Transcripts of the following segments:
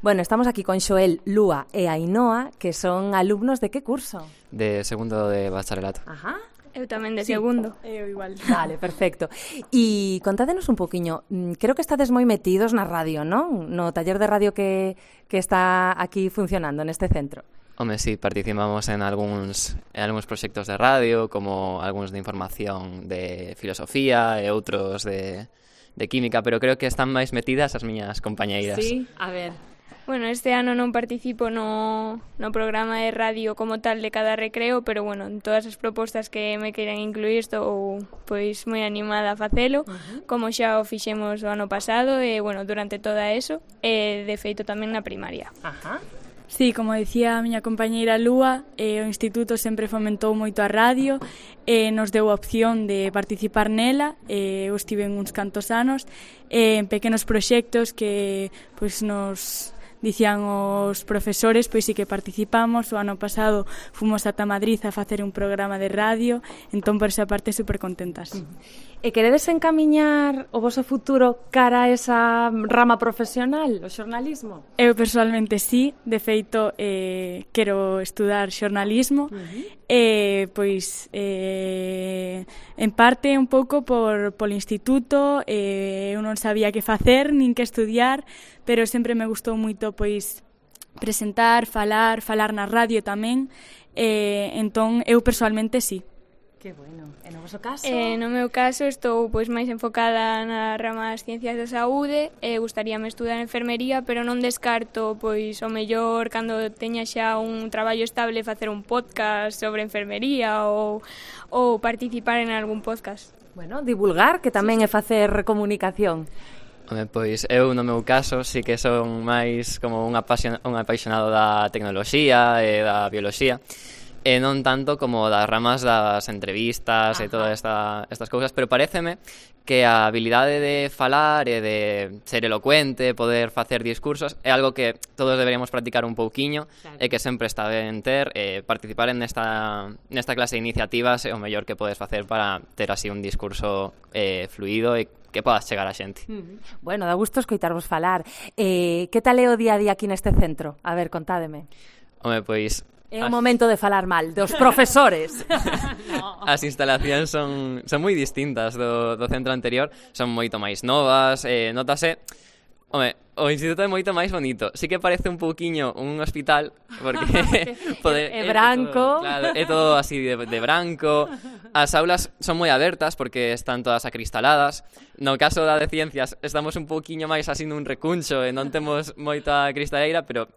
Bueno, estamos aquí con Xoel, Lúa e Ainhoa, que son alumnos de que curso? De segundo de bacharelato. Ajá. Eu tamén de segundo. Eu igual. Vale, perfecto. E contádenos un poquinho, creo que estades moi metidos na radio, non? No taller de radio que está aquí funcionando neste centro. Home, sí, participamos en algúns proxectos de radio, como algúns de información de filosofía e outros de química, pero creo que están máis metidas as miñas compañeiras. Sí, a ver. Bueno, este ano non participo no programa de radio como tal de cada recreo, pero bueno, en todas as propostas que me queiran incluir estou pois moi animada a facelo, como xa o fixemos o ano pasado e bueno, durante toda eso, e de feito tamén na primaria. Ajá. Sí, como dicía a miña compañeira Lúa, o Instituto sempre fomentou moito a radio e nos deu a opción de participar nela. Eu estive en uns cantos anos en pequenos proxectos que pois nos dicían os profesores, pois sí que participamos. O ano pasado fomos ata Madrid a facer un programa de radio, entón por esa parte super contentas. E queredes encamiñar o voso futuro cara a esa rama profesional, o xornalismo? Eu personalmente sí, de feito quero estudar xornalismo e pois en parte un pouco polo instituto, eu non sabía que facer nin que estudiar, pero sempre me gustou moito pois presentar, falar na radio tamén, entón eu personalmente sí. Que bueno. E no voso caso? No meu caso estou pois máis enfocada na rama das ciencias da saúde e gustaríame estudar enfermería, pero non descarto pois o mellor cando teña xa un traballo estable facer un podcast sobre enfermería ou participar en algún podcast. Bueno, divulgar, que tamén é facer comunicación. Home, pois eu no meu caso sí que son máis como un apaixonado da tecnoloxía e da bioloxía, e non tanto como das ramas das entrevistas e todas estas cousas, pero paréceme que a habilidade de falar e de ser elocuente, poder facer discursos, é algo que todos deberíamos practicar un pouquiño, claro. E que sempre está ben ter, participar en nesta clase de iniciativas é o mellor que podes facer para ter así un discurso fluido e que podas chegar a xente. Bueno, dá gusto escoitarvos falar. Que tal é o día a día aquí neste centro? A ver, contádeme. Home, pois é o momento de falar mal dos profesores. As instalacións son moi distintas do centro anterior, son moito máis novas, notase. Home, o instituto é moito máis bonito. Sí que parece un pouquiño un hospital, porque é branco. Claro, é todo así de branco. As aulas son moi abertas porque están todas acristaladas. No caso da de ciencias estamos un pouquiño máis así nun recuncho e non temos moita cristaleira, pero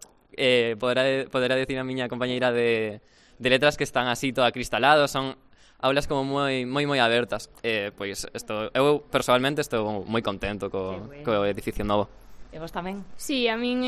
poderá decir a miña compañeira de letras que están así todo acristalados, son aulas como moi abertas. Pois eu personalmente estou moi contento co edificio novo. E vos tamén? Sí, a min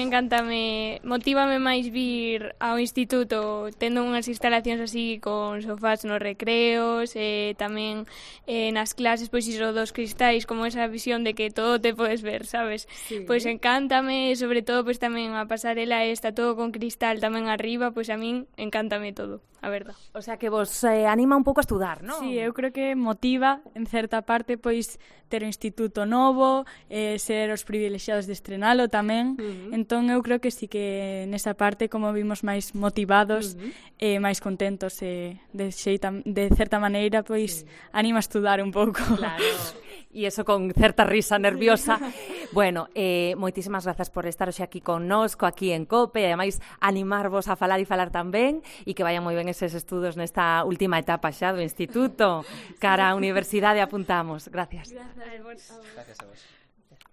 motívame máis vir ao instituto tendo unhas instalacións así con sofás nos recreos e tamén nas clases pois iso dos cristais, como esa visión de que todo te podes ver, sabes? Sí. Pois encántame e sobre todo pois tamén a pasarela está todo con cristal tamén arriba, pois a min encántame todo, a verdad. O sea que vos anima un pouco a estudar, non? Sí, eu creo que motiva en certa parte pois ter o instituto novo, ser os privilexiados de estrenalo tamén, entón eu creo que sí que nesa parte como vimos máis motivados e máis contentos e de certa maneira pois anima a estudar un pouco. Claro. E iso con certa risa nerviosa. Bueno, moitísimas grazas por estar hoxe aquí connosco, aquí en COPE, e ademais animarvos a falar e falar tamén, e que vayan moi ben eses estudos nesta última etapa xa do instituto. Cara á universidade apuntamos. Gracias. Gracias a vos.